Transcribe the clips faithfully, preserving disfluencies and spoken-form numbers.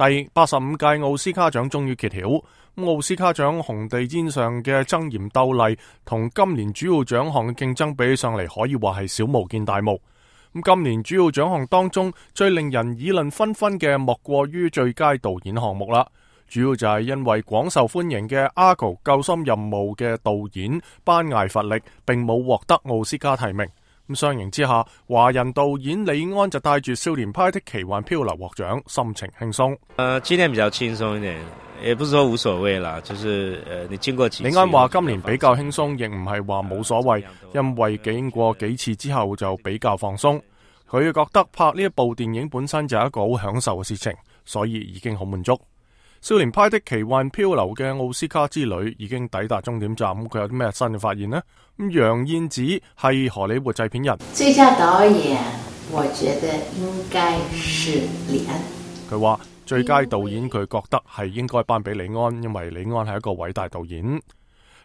第八十五屆奧斯卡獎終於揭曉，奧斯卡獎紅地毯上嘅爭妍鬥麗同今年主要獎項嘅競爭比起上嚟，可以話係小巫見大巫。咁今年主要獎項當中最令人議論紛紛嘅，莫過於最佳導演項目啦。主要就係因為廣受歡迎嘅《Argo 救心任務》嘅導演班艾弗力並冇獲得奧斯卡提名。咁相形之下，華人導演李安就帶住《少年派的奇幻漂流》獲獎，心情輕鬆。呃，今年比較輕鬆一點，也不是說無所謂啦，就是呃，你經過幾次。李安話今年比較輕鬆，亦唔係話冇所謂，因為經過幾次之後就比較放鬆。佢覺得拍呢一部電影本身就係一個好享受嘅事情，所以已經好滿足。少年派的奇幻漂流嘅奧斯卡之旅已經抵達終點站，佢有啲咩新嘅發現呢？咁楊燕子係荷里活製片人，最佳導演我覺得應該是李安。佢話最佳導演佢覺得係應該頒俾李安，因為李安係一個偉大導演。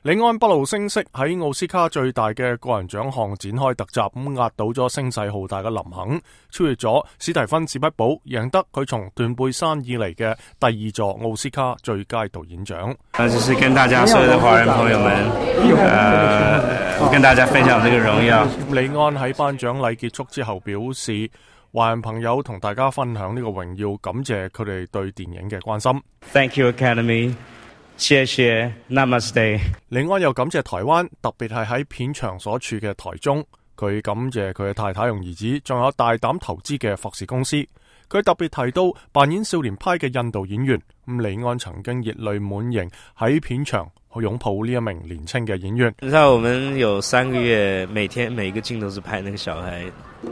李安不露聲色喺奧斯卡最大嘅個人獎項展開突襲，咁壓倒咗聲勢浩大嘅林肯，超越咗史蒂芬史匹堡，贏得佢從斷背山以嚟嘅第二座奧斯卡最佳導演獎。那就是跟大家所有的華人朋友們，呃，跟大家分享這個榮耀。李安喺頒獎禮結束之後表示，華人朋友同大家分享呢個榮耀，感謝佢哋對電影嘅關心。Thank you, Academy。謝謝 Namaste。李安又感謝台灣，特別係喺片場所處嘅台中。佢感謝佢嘅太太同兒子，仲有大膽投資嘅霍士公司。佢特別提到扮演少年派嘅印度演員，咁李安曾經熱淚滿盈喺片場去擁抱呢一名年輕嘅演員。你知道我們有三個月，每天每一個鏡頭是拍那個小孩，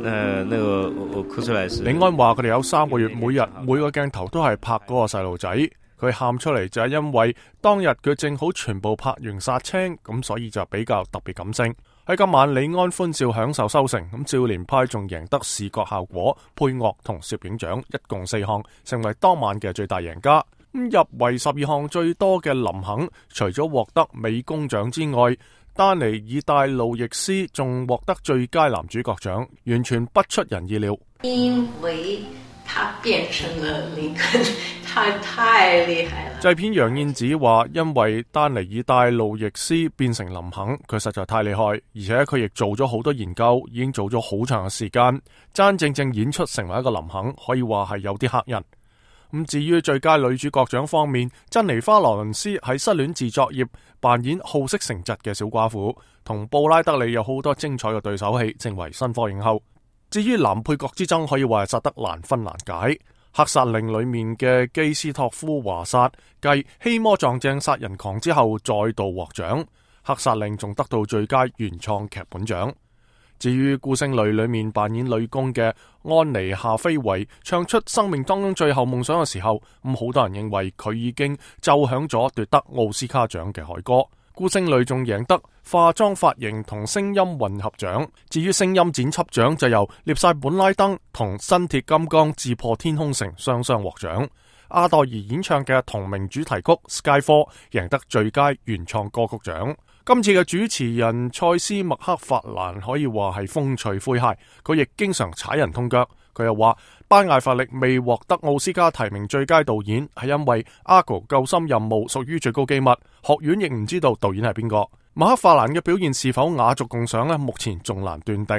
呃，那個我我哭出來是。李安話佢哋有三個月，每日每個鏡頭都係拍嗰個細路仔。佢喊出嚟就係因為當日佢正好全部拍完殺青，咁所以就比較特別感性。喺今晚李安歡笑享受收成，咁少年派仲贏得視覺效果、配樂同攝影獎，一共四項，成為當晚嘅最大贏家。咁入圍十二項最多嘅林肯，除咗獲得美工獎之外，丹尼爾戴路易斯仲獲得最佳男主角獎，完全不出人意料。因為他變成了林肯，他太厲害了。製片楊燕子話，因為丹尼爾戴路易斯變成林肯，佢實在太厲害，而且佢亦做咗好多研究，已經做咗好長嘅時間，真正正演出成為一個林肯，可以話係有啲嚇人。咁至於最佳女主角獎方面，珍妮花羅倫斯喺失戀自作業扮演好色成疾嘅小寡婦，同布拉德利有好多精彩嘅對手戲，成為新科影后。至於男配角之爭，可以話係殺得難分難解。黑殺令裏面嘅基斯托夫華薩繼希魔撞正殺人狂之後再度獲獎，黑殺令仲得到最佳原創劇本獎。至於孤星淚裏面扮演女工嘅安妮夏菲維唱出生命當中最後夢想嘅時候，咁好多人認為佢已經奏響咗奪得奧斯卡獎嘅凱歌。孤星淚仲贏得化妝髮型同聲音混合獎。至於聲音剪輯獎就由涅塞本拉登同新鐵金剛自破天空城雙雙獲獎。阿黛兒演唱嘅同名主題曲 Skyfall 贏得最佳原創歌曲獎。今次嘅主持人塞斯麥克法蘭可以話係風趣詼諧，佢亦經常踩人痛腳。佢又話班艾弗力未獲得奧斯卡提名最佳導演，係因為 Argo 救心任務屬於最高機密，學院亦唔知道導演係邊個。麥克法蘭嘅表現是否雅俗共賞呢？目前仲難斷定。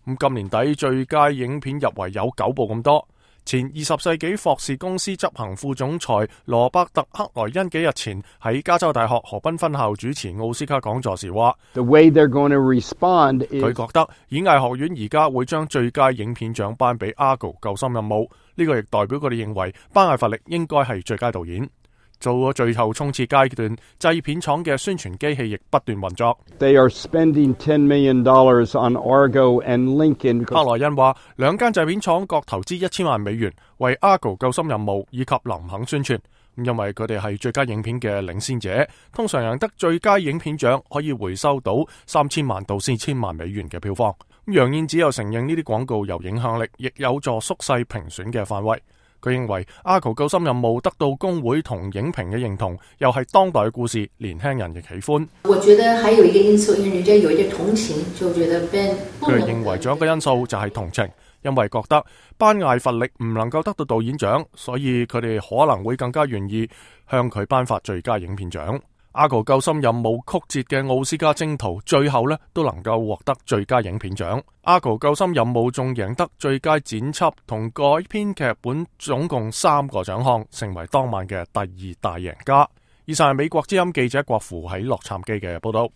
咁今年底最佳影片入圍有九部咁多。前二十世紀霍士公司執行副總裁羅伯特克萊恩幾日前喺加州大學河濱分校主持奧斯卡講座時話，佢覺得演藝學院而家會將最佳影片獎頒俾 Argo 救心任務，呢個亦代表佢哋認為班艾弗力應該係最佳導演。做咗最後衝刺階段，製片廠嘅宣傳機器亦不斷運作。They are spending ten million dollars on Argo and Lincoln。克萊恩話，兩間製片廠各投資一千萬美元為 Argo 救心任務以及林肯宣傳。因為佢哋係最佳影片嘅領先者，通常贏得最佳影片獎可以回收到三千萬到四千萬美元嘅票房。楊燕子又承認呢啲廣告有影響力，亦有助縮細評選嘅範圍。佢認為 Argo 救心任務得到工會同影評嘅認同，又係當代嘅故事，年輕人亦喜歡。我覺得還有一個因素，因為人家有一個同情，就覺得 Ben。佢認為仲有一個因素就係同情，因為覺得班艾弗力唔能夠得到導演獎，所以佢哋可能會更加願意向佢頒發最佳影片獎。阿哥救心任務曲折嘅奧斯卡征途，最後呢都能夠獲得最佳影片獎。阿哥救心任務仲贏得最佳剪輯同改編劇本，總共三個獎項，成為當晚嘅第二大贏家。以上係美國之音記者郭芙喺洛杉磯嘅報道。